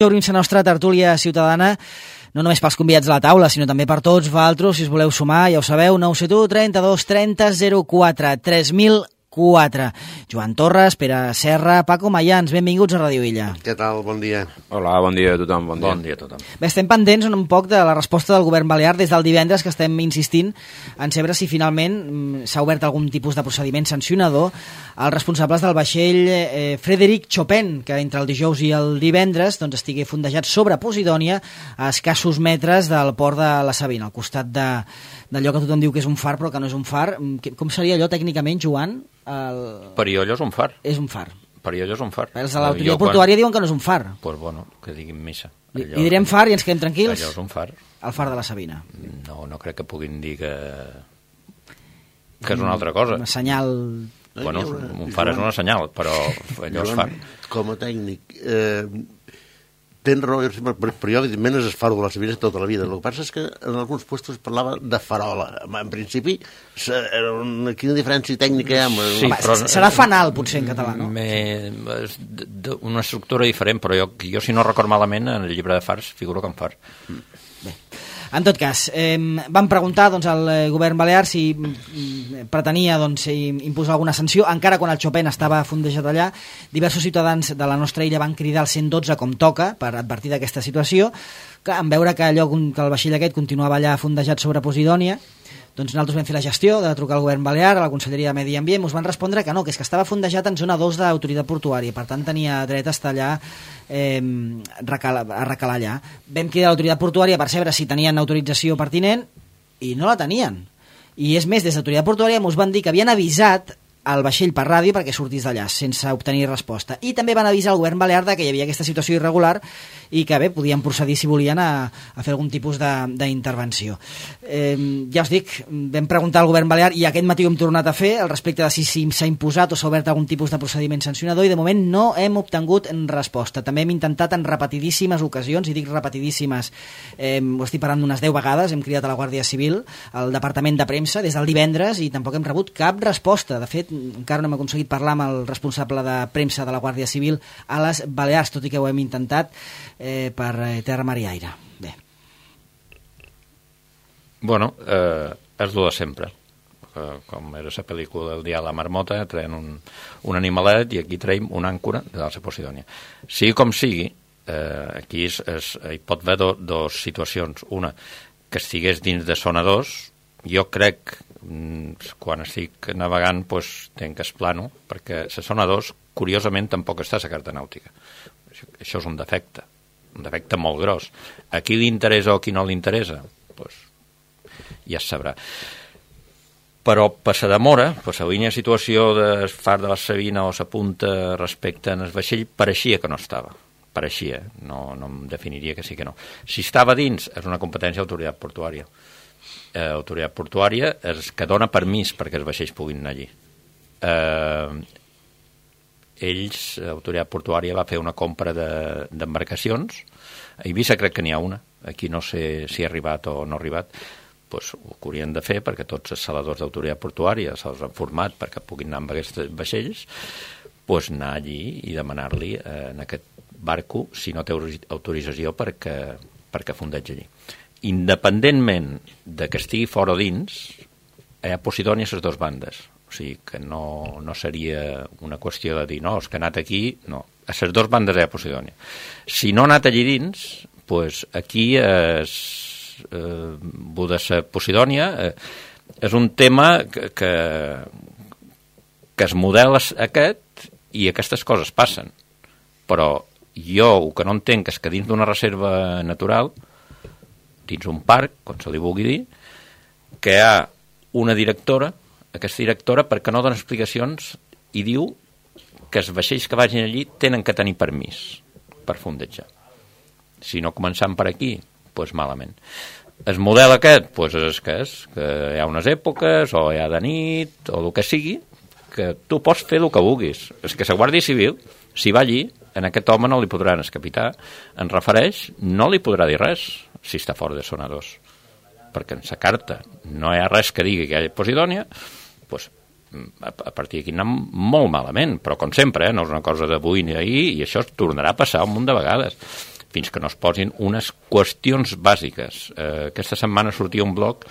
Obrim la nostra tertúlia ciutadana, no només pels convidats a la taula, sinó també per tots vosaltres, si us voleu sumar, ja ho sabeu, 971 32 30 04 3004. Joan Torres, Pere Serra, Paco Mayans, benvinguts a Ràdio Illa. Què tal? Bon dia. Hola, bon dia a tothom. Bon dia a tothom. Bé, estem pendents un poc de la resposta del govern balear des del divendres, que estem insistint en saber si finalment s'ha obert algun tipus de procediment sancionador als responsables del vaixell Frederic Chopin, que entre el dijous i el divendres estigué fondejat sobre Posidònia a escassos metres del port de la Sabina, al costat d'allò que tothom diu que és un far però que no és un far. Com seria allò tècnicament, Joan? Periollo és un far. És un far. Periollo és un far. Els de l'autoritat portuària diuen que no és un far. Doncs pues bueno, que diguin missa. I direm far i ens quedem tranquils? Allò és un far. El far de la Sabina. No crec que puguin dir que és una altra cosa. Un senyal... Bueno, un far és una senyal, però allò és far. Com a tècnic, tens raó, però jo evidentment és el far de la Sabina tota la vida. El que passa és que en alguns puestos es parlava de farola. En principi, quina diferència tècnica hi ha? Sí, però serà fanal, potser, en català, no? Una estructura diferent, però jo si no record malament, en el llibre de fars figuro com far. Bé. En tot cas, vam preguntar al govern balear si pretenia imposar alguna sanció, encara quan el Chopin estava fondejat allà. Diversos ciutadans de la nostra illa van cridar al 112 com toca per advertir d'aquesta situació. Clar, en veure que el vaixell aquest continuava allà fondejat sobre Posidònia, doncs nosaltres vam fer la gestió de trucar al govern balear, a la Conselleria de Medi Ambient, ens van respondre que no, que és que estava fondejat en zona 2 d'autoritat portuària, per tant tenia dret a estar allà, a recalar allà. Vam cridar a l'autoritat portuària per saber si tenien autorització pertinent i no la tenien. I és més, des d'autoritat portuària ens van dir que havien avisat al vaixell per ràdio perquè sortís d'allà sense obtenir resposta, i també van avisar al govern balear que hi havia aquesta situació irregular i que bé, podien procedir si volien a fer algun tipus d'intervenció. Ja us dic, vam preguntar al govern balear i aquest matí ho hem tornat a fer al respecte de si s'ha imposat o s'ha obert algun tipus de procediment sancionador, i de moment no hem obtingut resposta. També hem intentat en repetidíssimes ocasions, i dic repetidíssimes, ho estic parlant d'unes 10 vegades, hem cridat a la Guàrdia Civil, al Departament de Premsa des del divendres, i tampoc hem rebut cap resposta. De fet, encara no hem aconseguit parlar amb el responsable de premsa de la Guàrdia Civil a les Balears, tot i que ho hem intentat per terra, mar i aire. Bé. Bueno, és el de sempre. Com era la pel·lícula del dia a la marmota, traien un animalet i aquí traiem una àncora de la Posidònia. Sigui com sigui, aquí hi pot haver dues situacions. Una, que estigués dins de zona 2, jo crec, quan estic navegant, tenc que esplano, perquè la zona 2, curiosament, tampoc està a la carta nàutica. Això és un defecte molt gros. A qui li interessa o a qui no li interessa, ja es sabrà. Però per la demora, per la línia de situació del far de la Sabina o la punta respecte al vaixell, pareixia que no estava. Pareixia, no em definiria que sí que no. Si estava dins, és una competència d'autoritat portuària. Autoritat portuària és que dona permís perquè els vaixells puguin anar allí. Autoritat portuària va fer una compra d'embarcacions. A Eivissa crec que n'hi ha una. Aquí no sé si ha arribat o no ha arribat. Ho haurien de fer perquè tots els saladors d'autoritat portuària se'ls han format perquè puguin anar amb aquests vaixells, anar allí i demanar-li en aquest barco si no té autorització perquè fondegi allí. Independentment de que estigui fora o dins, hi ha Posidònia a les dues bandes. O sigui que no seria una qüestió de dir, no, és que ha anat aquí, no. A les dues bandes hi ha Posidònia. Si no ha anat allí dins, aquí de la Posidònia és un tema que es modela aquest i aquestes coses passen. Però jo el que no entenc és que dins d'una reserva natural, dins un parc, com se li vulgui dir, que hi ha una directora, aquesta directora, perquè no dona explicacions i diu que els vaixells que vagin allí tenen que tenir permís per fondejar. Si no començant per aquí, malament. El model aquest, és que hi ha unes èpoques, o hi ha de nit, o el que sigui, que tu pots fer el que vulguis. És que la Guàrdia Civil, si va allí, en aquest home no li podran, el capità en refereix, no li podrà dir res si està fora de zona 2, perquè en la carta no hi ha res que digui que hi ha Posidònia, a partir d'aquí anem molt malament, però com sempre, no és una cosa d'avui ni d'ahir, i això es tornarà a passar un munt de vegades. fins que no es posin unes qüestions bàsiques. Aquesta setmana sortia un blog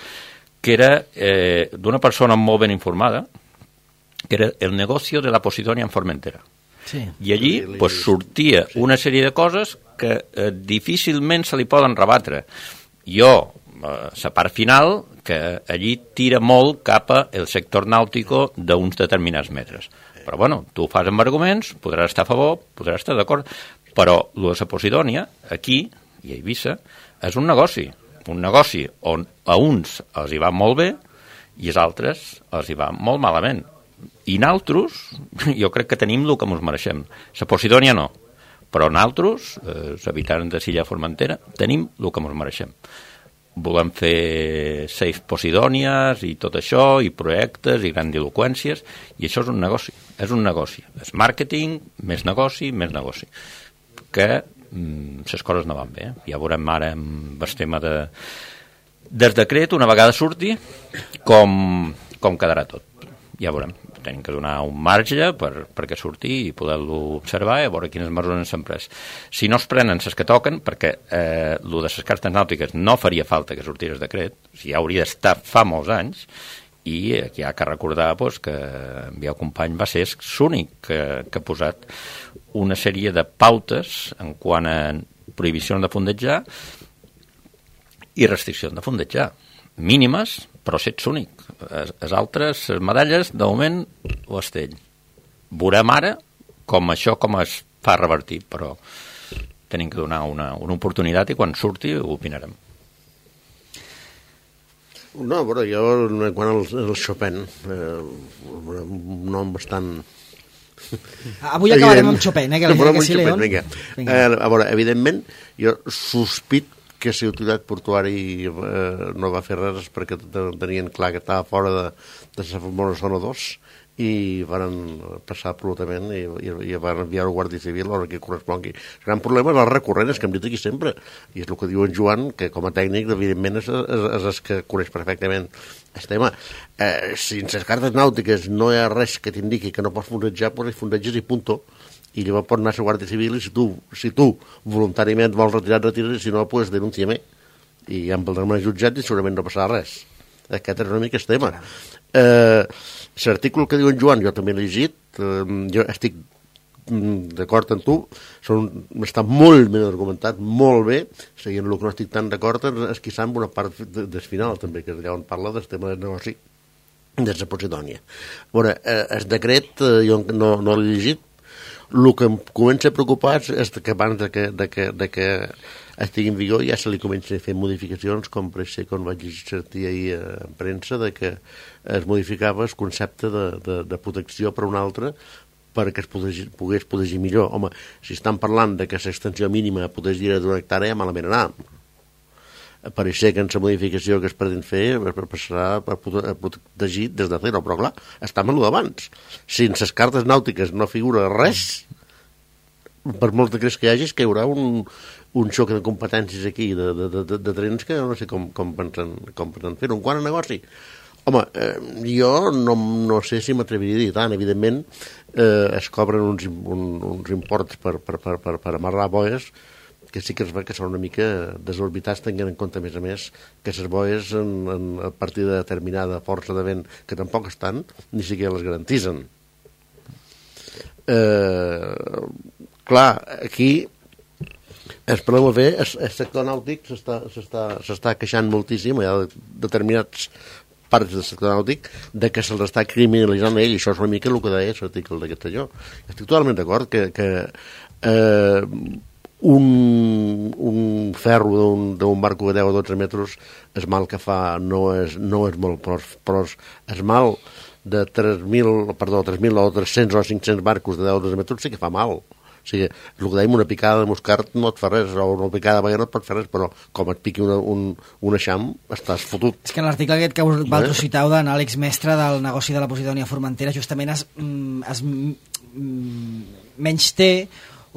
que era d'una persona molt ben informada, que era el negocio de la Posidonia en Formentera. Sí. I allí pues, sortia una sèrie de coses que difícilment se li poden rebatre. Jo, la part final, que allí tira molt cap al sector nàutico d'uns determinats metres. Però, bueno, tu ho fas amb arguments, podràs estar a favor, podràs estar d'acord, però el de la Posidonia, aquí, i a Eivissa, és un negoci on a uns els hi va molt bé i als altres els hi va molt malament. I nosaltres, jo crec que tenim el que ens mereixem. La Posidonia no, però nosaltres, els habitants de l'illa Formentera, tenim el que ens mereixem. Volem fer 6 Posidònies i tot això, i projectes, i grandiloqüències, i això és un negoci. És màrqueting, més negoci. Que les coses no van bé. Ja veurem ara amb el tema del decret, una vegada surti, com quedarà tot. Ja veurem. Tenim que donar un marge perquè surti i poder-lo observar i veure quines mesures s'han pres. Si no es prenen les que toquen, perquè el de les cartes nàutiques no faria falta que sortís el decret, ja hauria d'estar fa molts anys, i aquí hi ha que recordar que en Biau Company va ser l'únic que ha posat una sèrie de pautes en quant a prohibicions de fondejar i restriccions de fondejar mínimes, però si ets únic. Les altres, les medalles, de moment, ho estell. Veurem ara com això es fa revertir, però tenim que donar una oportunitat i quan surti ho opinarem. No, però jo, quan el Chopin, un nom bastant... Avui acabarem amb Chopin, que sí, León. Vinga. A veure, evidentment, jo sospit que si l'autoritat portuària no va fer res perquè tenien clar que estava fora de la famosa zona 2 i van passar absolutament i van enviar el Guàrdia Civil a l'hora que correspongui. El gran problema és el recurrent, és que hem dit aquí sempre, i és el que diu en Joan, que com a tècnic evidentment és el que coneix perfectament el tema. Si en les cartes nàutiques no hi ha res que t'indiqui que no pots fondejar, doncs fondeges i punto. I llavors pot anar a la Guàrdia Civil i si tu voluntàriament vols retirar, retires, i si no, doncs denuncia-me. I ja em valdrem al jutjat i segurament no passarà res. Aquest és una mica el tema. L'article que diu en Joan, jo també l'he llegit, jo estic d'acord amb tu, està molt ben argumentat, molt bé, seguint el que no estic tan d'acord és quizà amb una part del final també, que és allà on parla del tema del negoci de la Posidònia. Bueno, el decret jo no l'he llegit. El que em comença a preocupar és que abans de que estigui en vigor ja se li comença a fer modificacions, com per ser quan vaig sortir ahir en premsa, de que es modificava el concepte de protecció per un altre perquè es pogués protegir millor. Home, si estan parlant de que l'extensió mínima protegir d'una hectàrea, malament anar. Pareixer que en la modificació que es pretén fer passarà per protegir des de zero, però clar, està amb el d'abans. Si en les cartes nàutiques no figura res, per molt de creus que hi hagi, que hi haurà un xoc de competències aquí de trens que no sé com pensen fer-ho. En quant a negoci, home, jo no sé si m'atreviria a dir tant. Evidentment es cobren uns imports per amarrar boies que sí que es veu que són una mica desorbitats, tenint en compte, a més, que les boies a partir de determinada força de vent, que tampoc estan, ni siquiera les garantitzen. Clar, aquí el problema ve, el sector nàutic s'està queixant moltíssim, hi ha determinats parts del sector nàutic de que se'ls està criminalitzant a ell, i això és una mica el que deia l'article de Castelló. Estic totalment d'acord que un ferro d'un barco de 10 o 12 metres, el mal que fa no és molt, però el mal de 3.000 o 300 o 500 barcos de 10 o 12 metres sí que fa mal. O sigui, el que dèiem, una picada de moscart no et fa res, o una picada de baiana no et pot fer res, però com et piqui un eixam, estàs fotut. És que en l'article aquest que vosaltres citau d'en Àlex Mestre del negoci de la Posidònia Formentera justament es menysté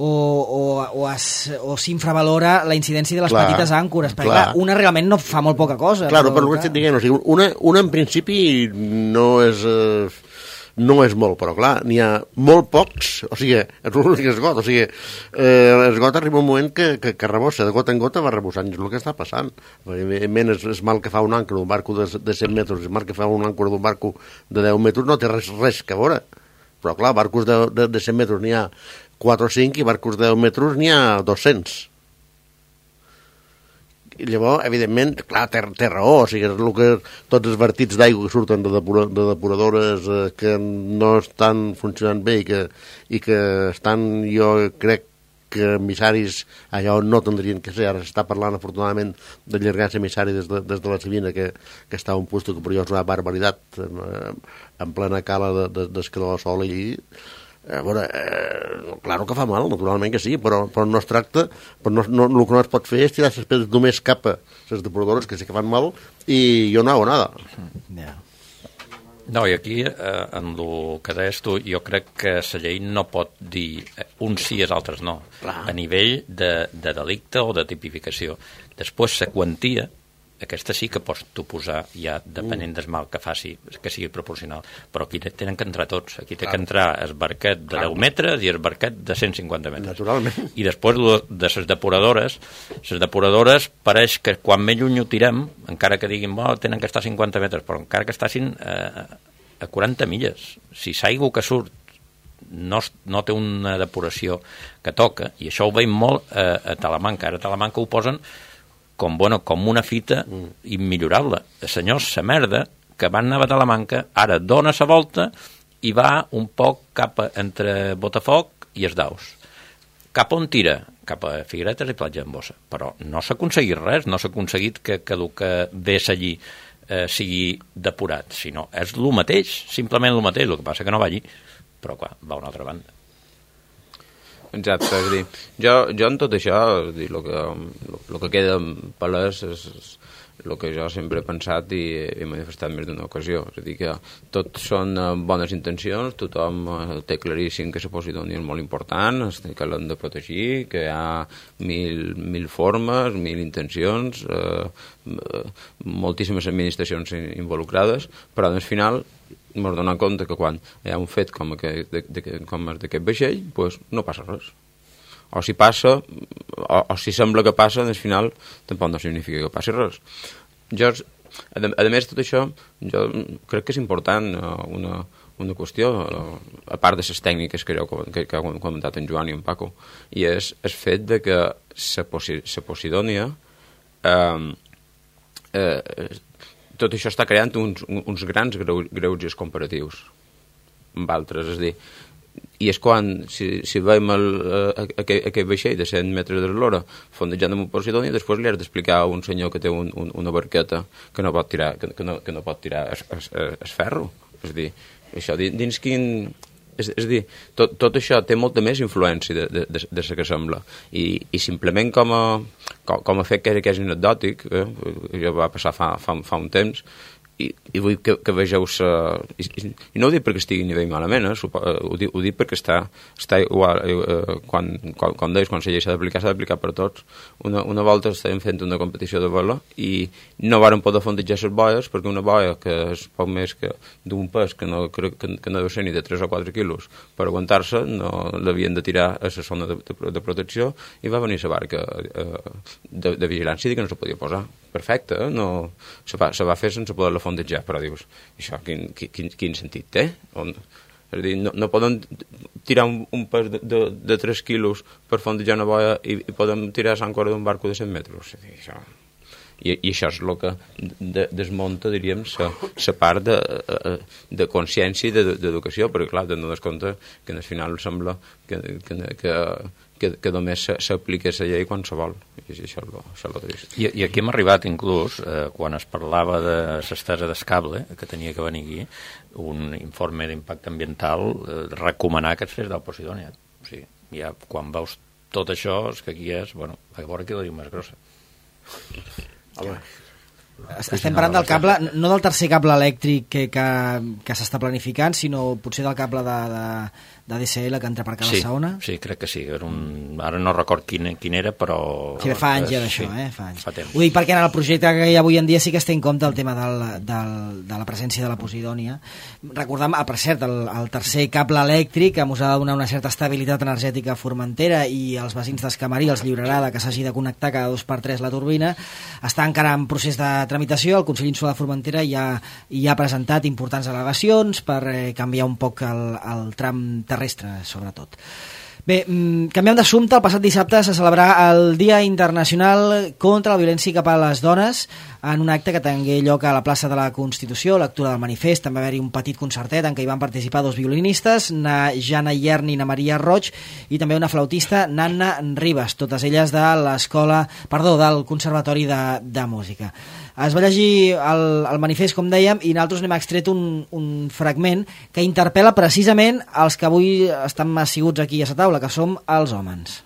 o s'infravalora la incidència de les petites àncores, perquè clar, una realment no fa molt poca cosa. Clar, però estic dient, una en principi no és no és molt, però clar, n'hi ha molt pocs, o sigui, és l'únic esgot, o sigui, l'esgot arriba un moment que rebossa, de gota en gota va rebossant, és el que està passant. Evidentment, és mal que fa un àncora d'un barco de 100 metres, és mal que fa un àncora d'un barco de 10 metres, no té res que veure. Però clar, barcos de 100 metres n'hi ha 4 o 5 i barcos de 10 metres n'hi ha 200. I llavors, evidentment, clar, té raó, o sigui, és el que tots els vertits d'aigua que surten de depuradores que no estan funcionant bé i que estan, jo crec que emissaris allò no tindrien que ser. Ara s'està parlant, afortunadament, d'allargar-se emissari des de la Sabina, que està a un puesto que per jo és una barbaritat, en plena cala d'escalar el sol i... A veure, claro que fa mal, naturalment que sí, però no es tracta, però el que no es pot fer és tirar les pedres només cap a les depuradores, que sí que fan mal, i jo no hago nada. Yeah. No, i aquí, en el que deies tu, jo crec que la llei no pot dir uns sí i els altres no. Clar. A nivell de delicte o de tipificació. Després, la quantia, aquesta sí que pots tu posar ja, depenent del mal que faci, que sigui proporcional. Però aquí tenen que entrar tots. Aquí té que entrar el barquet de 10 metres i el barquet de 150 metres. Naturalment. I després de les depuradores pareix que quan més lluny ho tirem, encara que diguin, tenen que estar a 50 metres, però encara que estiguin a 40 milles. Si l'aigua que surt no té una depuració que toca, i això ho veiem molt a Talamanca. Ara a Talamanca ho posen com una fita immillorable. Senyors, la merda que van anar a Talamanca ara dona la volta i va un poc entre Botafoc i els Daus. Cap on tira? Cap a Figueretes i Platja en Bossa. Però no s'ha aconseguit res, no s'ha aconseguit que el que ves allí sigui depurat, sinó és el mateix, simplement el mateix, el que passa que no va allí, però clar, va a una altra banda. Exacte, és a dir, jo en tot això, és dir, el que queda palès és el que jo sempre he pensat i he manifestat més d'una ocasió, és a dir, que tot són bones intencions, tothom té claríssim que la Posidònia és molt important, que l'hem de protegir, que hi ha mil formes, 1000 intencions, moltíssimes administracions involucrades, però al final m'he donat compte que quan hi ha un fet com d'aquest vaixell, doncs no passa res. O si passa, o si sembla que passa, al final tampoc no significa que passi res. A més de tot això, jo crec que és important una qüestió, a part de les tècniques que ha comentat en Joan i en Paco, i és el fet de que la Posidònia tot això està creant uns grans greuges comparatius amb altres, és a dir, i és quan, si veiem aquest vaixell de 100 metres d'eslora fondejant amb un Posidònia, després li has d'explicar a un senyor que té una barqueta que no pot tirar el ferro, és a dir, això dins quin... És a dir, tot això té molta més influència de la que sembla, i simplement com a fet que és anecdòtic, ja va passar fa un temps, i vull que vegeu i no ho dic perquè estigui a nivell malament, ho dic perquè està igual, quan deies, quan la llei s'ha d'aplicar per tots. Una volta estàvem fent una competició de vela i no vàrem poder fondejar les boies perquè una boia que és poc més que d'un pes que no deu ser ni de 3 o 4 quilos per aguantar-se, no l'havien de tirar a la zona de protecció, i va venir la barca de vigilància i que no se podia posar. Perfecte, no, se va fer sense poder-la fondejar, però dius, això quin sentit té? És a dir, no poden tirar un pes de 3 quilos per fondejar una boia i podem tirar l'àncora d'un barco de 100 metres. És a dir, això... I això és el que desmunta, diríem, la part de consciència i d'educació, perquè clar, te'n dones compte que al final sembla que només s'aplica la llei quan se vol, i això és el trist. I aquí hem arribat inclús, quan es parlava de l'estesa d'escable, que tenia que venir aquí, un informe d'impacte ambiental recomanar que es fes del Posidònia. O sigui, ja quan veus tot això, és que aquí és, bueno, a veure qui la diu més grossa. Estem parlant del cable, no del tercer cable elèctric que s'està planificant, sinó potser del cable d'ADSL que entra per cada Saona. Sí, crec que sí. Ara no record quin era, però... Sí, fa anys ja d'això, fa anys. Fa temps. Ho dic perquè en el projecte que hi ha avui en dia sí que es té en compte el tema de la presència de la posidònia. Recordem, per cert, el tercer cable elèctric que ens ha de donar una certa estabilitat energètica a Formentera i els veïns d'Escamarí els lliurarà que s'hagi de connectar cada 2x3 la turbina. Està encara en procés de tramitació. El Consell Insular de Formentera ja ha presentat importants al·legacions per canviar un poc el tram terrestre, sobretot. Bé, canviem d'assumpte. El passat dissabte se celebrarà el Dia Internacional contra la Violència cap a les Dones en un acte que tingué lloc a la plaça de la Constitució, lectura del manifest. També va haver-hi un petit concertet en què hi van participar 2 violinistes, Jana Ierni i Maria Roig, i també una flautista, Nanna Ribas, totes elles del Conservatori de Música. Es va llegir el manifest, com dèiem, i nosaltres n'hem extret un fragment que interpel·la precisament els que avui estan asseguts aquí a la taula, que som els homes.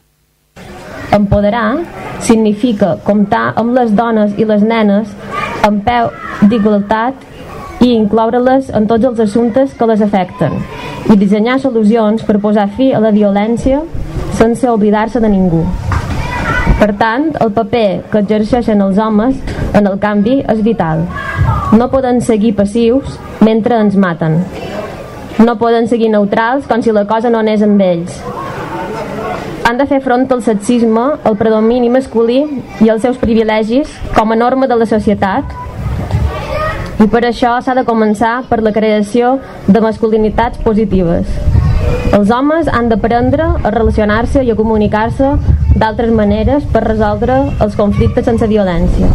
Empoderar significa comptar amb les dones i les nenes en peu d'igualtat i incloure-les en tots els assumptes que les afecten i dissenyar solucions per posar fi a la violència sense oblidar-se de ningú. Per tant, el paper que exerceixen els homes en el canvi és vital. No poden seguir passius mentre ens maten. No poden seguir neutrals com si la cosa no anés amb ells. Han de fer front al sexisme, al predomini masculí i als seus privilegis com a norma de la societat. I per això s'ha de començar per la creació de masculinitats positives. Els homes han d'aprendre a relacionar-se i a comunicar-se d'altres maneres per resoldre els conflictes sense violència.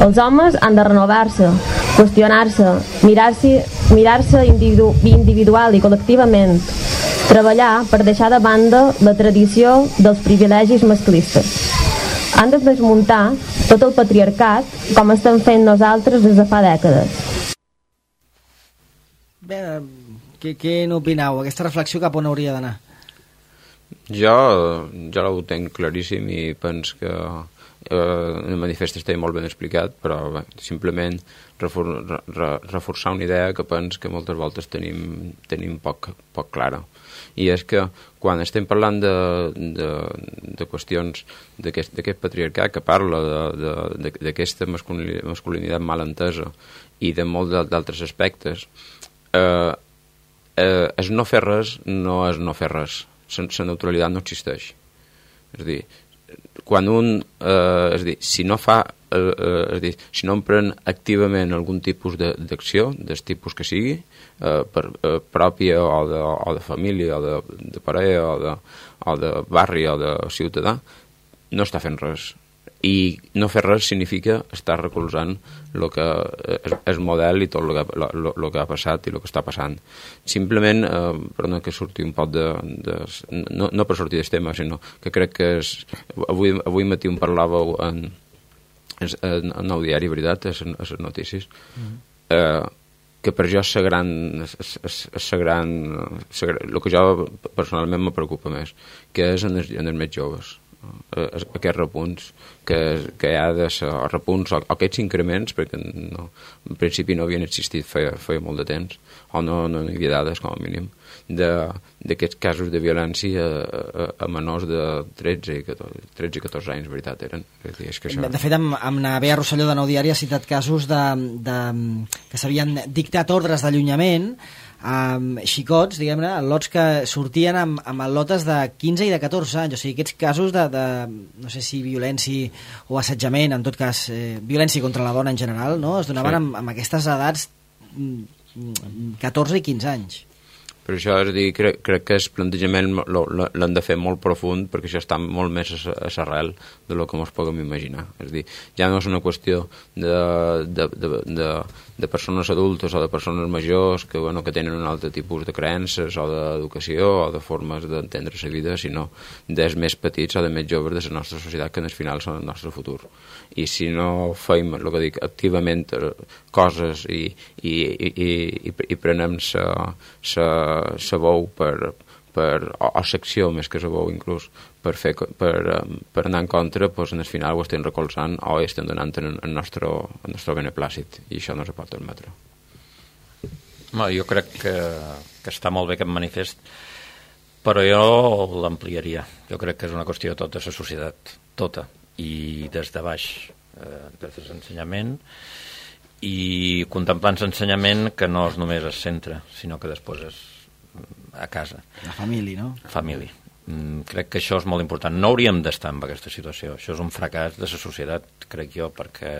Els homes han de renovar-se, qüestionar-se, mirar-se individual i col·lectivament, treballar per deixar de banda la tradició dels privilegis masclistes. Han de desmuntar tot el patriarcat com estem fent nosaltres des de fa dècades. Bé, què n'opineu? Aquesta reflexió cap on hauria d'anar? Jo ho tenc claríssim i penso que el manifest està molt ben explicat, però bé, simplement reforçar una idea que penso que moltes voltes tenim poc clara. I és que quan estem parlant de qüestions d'aquest patriarcat que parla d'aquesta masculinitat mal entesa i de molts d'altres aspectes, és no fer res no és no fer res. La neutralitat no existeix. És a dir, quan si no empren activament algun tipus d'acció, del tipus que sigui, pròpia o de família, o de parella, o de barri, o de ciutadà, no està fent res. I no fer res significa estar recolzant el que és model i tot el que ha passat i el que està passant. Simplement, perdona que surti un poc no per sortir del tema, sinó que crec que avui matí em parlàveu en el diari, veritat, a les notícies, que per jo el que jo personalment me preocupa més, que és en els més joves. Aquests repunts que hi ha de ser repunts o aquests increments, perquè en principi no havien existit feia molt de temps, o no hi havia dades com a mínim d'aquests casos de violència a menors de 13 i 14 anys, veritat eren. És que això... De fet, amb la Bea Rosselló de Nou Diari ha citat casos que s'havien dictat ordres d'allunyament amb xicots, diguem-ne, lots que sortien amb lotes de 15 i de 14 anys, o sigui, aquests casos de no sé si violència o assetjament, en tot cas violència contra la dona en general, no? Es donaven amb aquestes edats 14 i 15 anys. Per això, és a dir, crec que el plantejament l'han de fer molt profund, perquè això està molt més a l'arrel del que ens podem imaginar. És a dir, ja no és una qüestió de persones adultes o de persones majors que tenen un altre tipus de creences o d'educació o de formes d'entendre la vida, sinó dels més petits o de més joves de la nostra societat, que en el final són el nostre futur. I si no fem, el que dic, activament coses i prenem la veu o secció més que la veu inclús per anar en contra, doncs en el final ho estem recolzant o estem donant el nostre beneplàcit, i això no se pot admetre. No, jo crec que està molt bé aquest manifest, però jo l'ampliaria. Jo crec que és una qüestió de tota la societat, tota, i des de baix, des de l'ensenyament, i contemplant l'ensenyament que no és només el centre, sinó que després és a casa. La família, no? Família. Crec que això és molt important. No hauríem d'estar en aquesta situació. Això és un fracàs de la societat, crec jo, perquè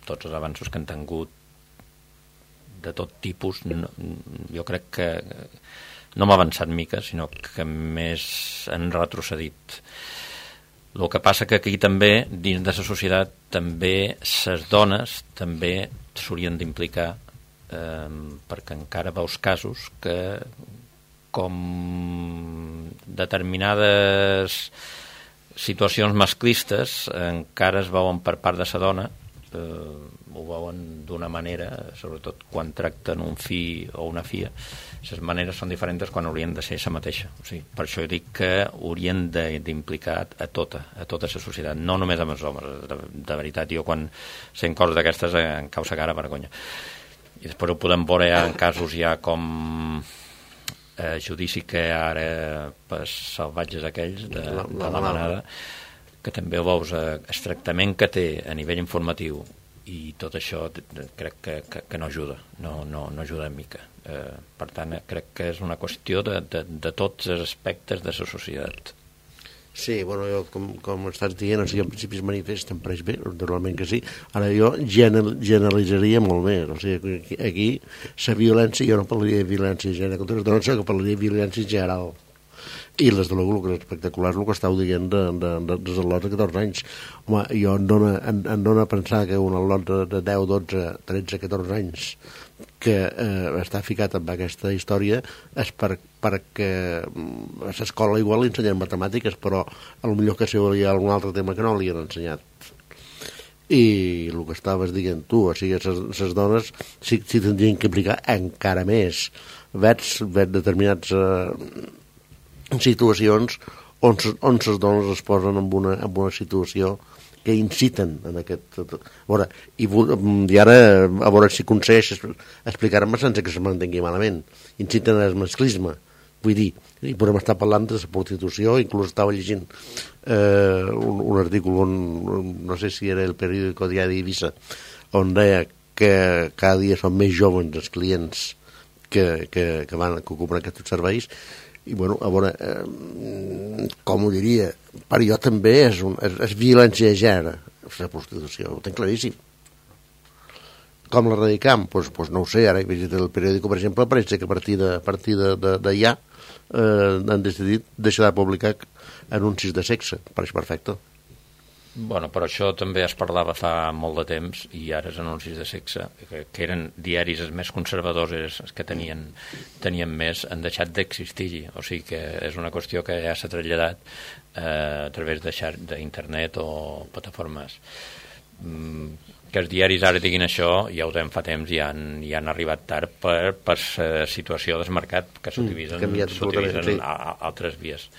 tots els avanços que han tingut de tot tipus, jo crec que no hem avançat mica, sinó que més han retrocedit. El que passa que aquí també, dins de la societat, també les dones també s'haurien d'implicar, perquè encara veus casos que com determinades situacions masclistes encara es veuen per part de la dona, ho veuen d'una manera, sobretot quan tracten un fill o una filla. Les maneres són diferents quan haurien de ser la mateixa. O sigui, per això dic que haurien d'implicar a tota la societat, no només amb els homes. De veritat, jo quan sent coses d'aquestes em causa cara vergonya. I després ho podem veure en casos ja com judici que ara per salvatges aquells de la manada, que també ho veus el tractament que té a nivell informatiu, i tot això crec que no ajuda, no ajuda en mica. Per tant, crec que és una qüestió de tots els aspectes de la societat. Sí, bueno, jo, com estàs dient, o sigui, en principi es manifesta, em pareix bé, naturalment que sí. Ara jo generalitzaria molt més. O sigui, aquí la violència, jo no parlaria de violència de gènere contra les dones, sinó que parlaria de violència general. I les de l'Ogu, que és espectacular, el que estàu dient dels al·lots de 14 anys. Home, jo em dona a pensar que un al·lot de 10, 12, 13, 14 anys que està ficat en aquesta història és perquè a l'escola igual li ensenyen matemàtiques, però potser que si hi ha algun altre tema que no li han ensenyat. I el que estaves dient tu, o sigui, les dones sí tindrien que implicar encara més. Veig determinats situacions on les dones es posen en una situació que inciten en aquest... I ara, a veure si aconsegueix explicar-me sense que se m'entengui malament. Inciten al masclisme. Vull dir, i podem estar parlant de la prostitució, inclús estava llegint un article on, no sé si era el periòdico Diari d'Eivissa, on deia que cada dia són més joves els clients que ocupen aquests serveis. I, bueno, a veure, com ho diria, per jo també és violència de gènere, la prostitució, ho tenc claríssim. Com l'erradicam? Doncs no ho sé, ara he vist el periòdico, per exemple, pareix que a partir d'allà han decidit deixar de publicar anuncis de sexe, pareix perfecte. Bueno, però això també es parlava fa molt de temps, i ara els anuncis de sexe, que eren diaris els més conservadors, els que tenien més, han deixat d'existir. O sigui que és una qüestió que ja s'ha traslladat a través d'internet o plataformes. Que els diaris ara diguin això, ja ho deien fa temps, i han arribat tard per la situació del mercat, que s'utilitzen altres vies.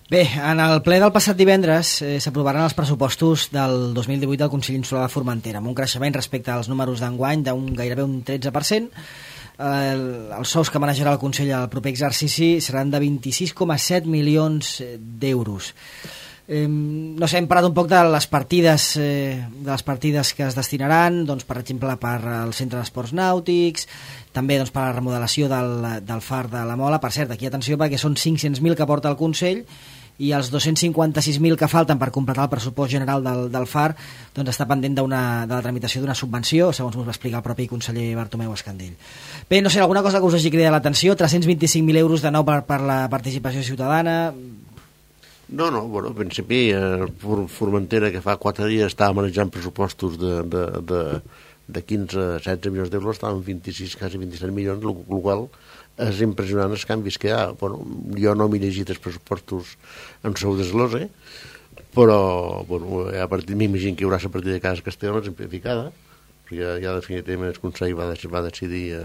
Bé, en el ple del passat divendres s'aprovaran els pressupostos del 2018 del Consell Insular de Formentera, amb un creixement respecte als números d'enguany gairebé un 13%. Els sous que manejarà el Consell al proper exercici seran de 26,7 milions d'euros. No sé, hem parlat un poc de les partides que es destinaran, doncs, per exemple, per al Centre d'Esports Nàutics, també doncs, per a la remodelació del far de la Mola. Per cert, aquí atenció, perquè són 500.000 que porta el Consell, i els 256.000 que falten per completar el pressupost general del FAR, doncs està pendent de la tramitació d'una subvenció, segons ens va explicar el propi conseller Bartomeu Escandell. Bé, no sé, alguna cosa que us hagi cridat l'atenció? 325.000 euros de nou per la participació ciutadana. No, bueno, en principi Formentera, que fa 4 dies estava manejant pressupostos de 15-16 milions d'euros, estava en 26, quasi 27 milions, el qual és impressionant els canvis que hi ha. Bueno, jo no m'he llegit els pressupostos en seu desglose, però bueno, a partir m'imagino que hi haurà la partida de Casa Castelló simplificada, perquè ja definitivament el Consell va decidir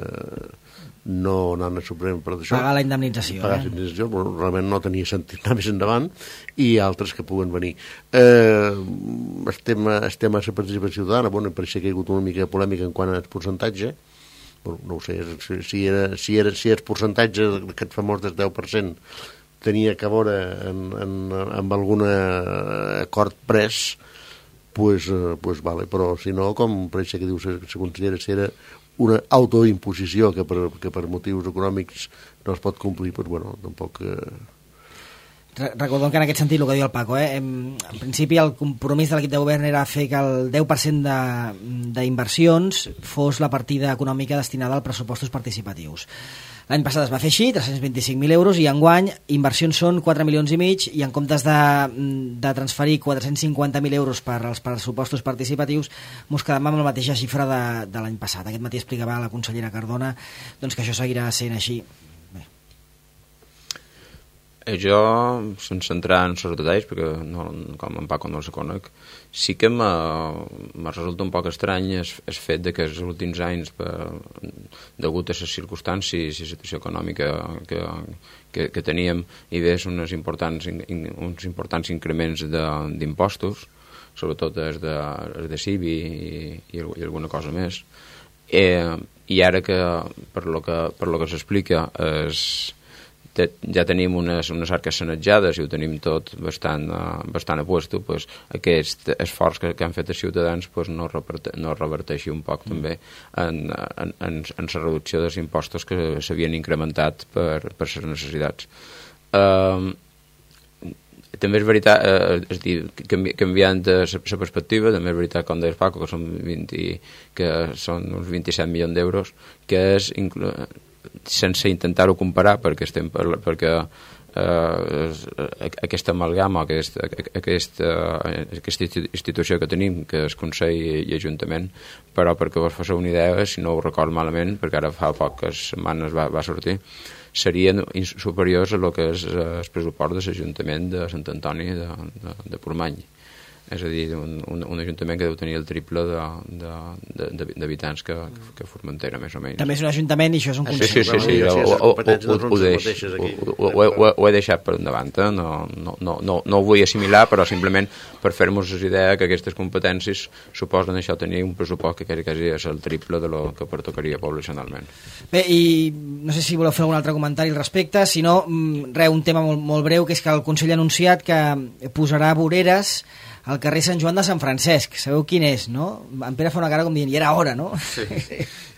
no anar al Suprem per això. Pagar la indemnització. Pagar la indemnització, però realment no tenia sentit anar més endavant, i altres que puguen venir. El tema de la participació ciutadana, bueno, pareixia que hi ha hagut una mica de polèmica en quant al percentatge. Bueno, no ho sé, si el percentatge aquest famós del 10% tenia que veure amb algun acord pres, pues vale, però si no, com pareix que diu, se considera si era una autoimposició que per motius econòmics no es pot complir, pues bueno, tampoc... Recordem que en aquest sentit el que diu el Paco, en principi el compromís de l'equip de govern era fer que el 10% d'inversions fos la partida econòmica destinada als pressupostos participatius. L'any passat es va fer així, 325.000 euros, i enguany inversions són 4,5 milions, i en comptes de transferir 450.000 euros per als pressupostos participatius, mos quedem amb la mateixa xifra de l'any passat. Aquest matí explicava la consellera Cardona doncs, que això seguirà sent així. Jo, sense entrar en els detalls, perquè com en Paco no els conec, sí que me resulta un poc estrany el fet de que els últims anys, degut a les circumstàncies i la situació econòmica que teníem, hi hagués uns importants increments d'impostos, sobretot els de CIBI i alguna cosa més, i ara que, per lo que s'explica, ja tenim unes arques sanejades i ho tenim tot bastant a puesto, pues, aquest esforç que han fet els ciutadans pues, no reverteixi un poc també en la reducció dels impostos que s'havien incrementat per les necessitats. També és veritat, canviant la perspectiva, també és veritat, com deia Paco, que són uns 27 milions d'euros, que és sense intentar-ho comparar, perquè aquesta amalgama, aquesta institució que tenim, que és Consell i Ajuntament, però perquè vos faci una idea, si no ho record malament, perquè ara fa poques setmanes va sortir, serien superiors a lo que és el pressupost de l'Ajuntament de Sant Antoni de Portmany. És a dir, un ajuntament que deu tenir el triple d'habitants que Formentera, més o menys. També és un ajuntament i això és un consell. Sí, ho he deixat per endavant. No ho vull assimilar, però simplement per fer-nos idea que aquestes competències suposen això tenir un pressupost que quasi és el triple de lo que pertocaria poblacionalment. Bé, i no sé si voleu fer algun altre comentari al respecte, si no, un tema molt breu, que és que el Consell ha anunciat que posarà voreres al carrer Sant Joan de Sant Francesc. Sabeu quin és, no? En Pere fa una cara com dient, i era hora, no? Sí.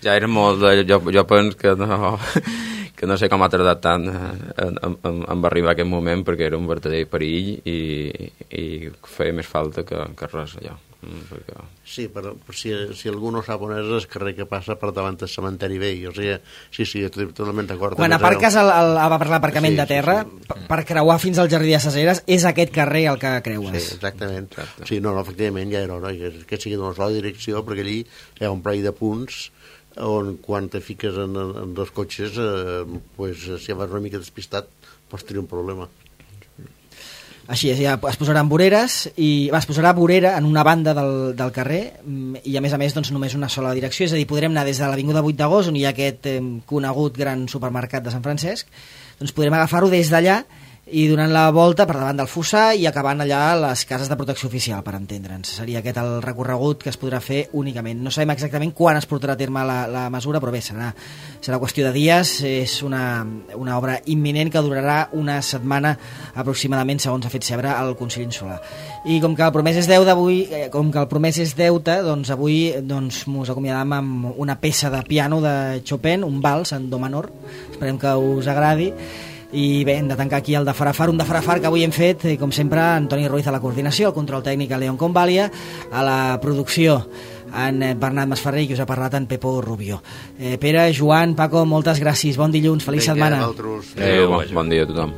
Ja era molt... Jo penso que no sé com ha tardat tant en arribar a aquest moment, perquè era un verdader perill i feia més falta que res allò. Sí, però si algú no sap on és el carrer que passa per davant del cementeri vell, o sigui, sí, estic totalment d'acord. Quan aparques per l'aparcament de terra, per creuar fins al jardí de Caseres, és aquest carrer el que creues. Sí, exactament. Sí, no, efectivament, ja era hora que sigui d'una sola direcció, perquè allí hi ha un parell de punts on quan te fiques en dos cotxes, si vas una mica despistat, pots tenir un problema. Així és, ja es posaran voreres i es posarà vorera en una banda del carrer i a més doncs només una sola direcció, és a dir, podrem anar des de l'Avinguda 8 d'agost, on hi ha aquest conegut gran supermercat de Sant Francesc, doncs podrem agafar-ho des d'allà i donant la volta per davant del Fossar i acabant allà a les cases de protecció oficial, per entendre'ns. Seria aquest el recorregut que es podrà fer únicament. No sabem exactament quan es portarà a terme la mesura, però bé, serà qüestió de dies. És una obra imminent que durarà una setmana aproximadament, segons ha fet saber el Consell Insular. I com que el promès és deute, doncs avui mos acomiadam amb una peça de piano de Chopin, un vals en do menor. Esperem que us agradi. I bé, hem de tancar aquí el de Farafar, un de Farafar que avui hem fet, com sempre, Antoni Ruiz a la coordinació, el control tècnic a León Convàlia, a la producció en Bernat Masferrer i que us ha parlat en Pepo Rubio. Pere, Joan, Paco, moltes gràcies, bon dilluns, feliç setmana. Bon dia a tothom.